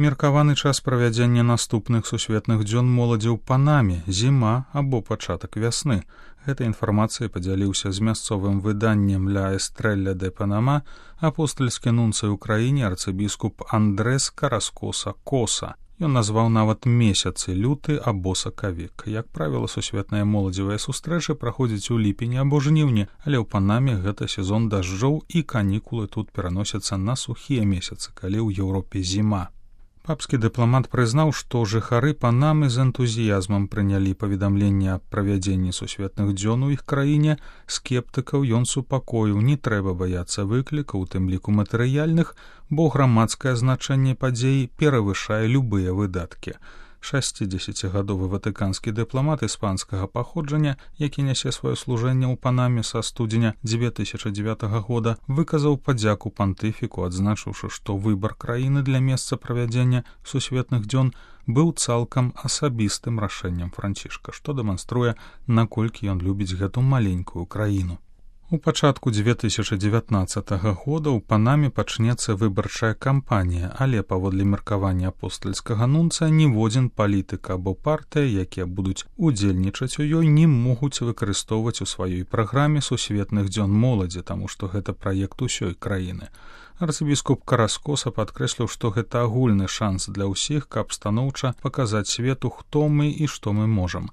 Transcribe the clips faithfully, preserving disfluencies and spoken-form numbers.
Меркаваны час правядзення наступных сусветных дзён моладзі ў Панаме, зіма або пачатак вясны. Гэтай інфармацыяй падзяліўся з мясцовым выданнем «Ля Эстрэлля де Панама» апостальскі нунцый у краіне арцыбіскуп Андрэс Караскоса Коса. Ён назваў нават месяцы люты або сакавік. Як правіла, сусветныя моладзевыя сустрэчы праходзяць у ліпені або жніўні, але ў Панаме гэта сезон дажджоў і канікулы тут пераносяцца на сухія месяцы, калі ў Еўропе зіма. Папскі дыпламат прызнаў, што жыхары Панамы з энтузіязмам прынялі паведамленне аб правядзенні сусветных дзён у іх краіне. Скептыкаў ён супакоіў, не трэба баяцца выклікаў, у тым ліку матэрыяльных, бо грамадскае значэнне падзеі перавышае любыя выдаткі. шасцідзесяцігадовы ватыканскі дыпламат іспанскага паходжання, які нясе сваё служэнне ў Панаме са студзеня дзве тысячы дзевятага года, выказаў падзяку пантыфіку, адзначыўшы, што выбар краіны для месца правядзення сусветных дзён быў цалкам асабістым рашэннем Францішка, што дэманструе, наколькі ён любіць гэту маленькую краіну. У пачатку дзве тысячы дзевятнаццатага года ў Панаме пачнецца выбарчая кампанія, але паводле меркавання апостальскага нунца ніводзін палітык або партыя, якія будуць удзельнічаць у ёй, не могуць выкарыстоўваць у сваёй праграме сусветных дзён моладзі, таму што гэта праект усёй краіны. Арцыбіскуп Караскоса падкрэсліў, што гэта агульны шанс для ўсіх, каб станоўча паказаць свету, хто мы і што мы можам.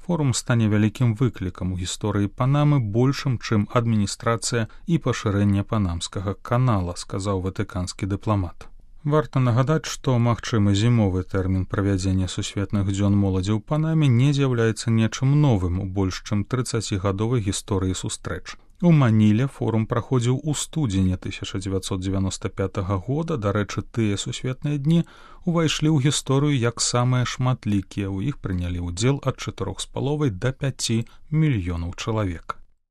Форум стане вялікім выклікам у гісторыі Панамы, большым, чым адміністрацыя і пашырэнне панамскага канала, сказаў ватыканскі дыпламат. Варта нагадаць, што магчымы зімовы тэрмін правядзення сусветных дзён моладзі ў Панаме не з'яўляецца нечым новым у больш чым трыццацігадовай гісторыі сустрэч. У Маніле форум праходзіў у студзені тысяча дзевяцьсот дзевяноста пятага года, дарэчы, тыя сусветныя дні увайшлі ў гісторыю як самыя шматлікія, у іх прынялі ўдзел ад чатырох з паловай да пяці мільёнаў чалавек.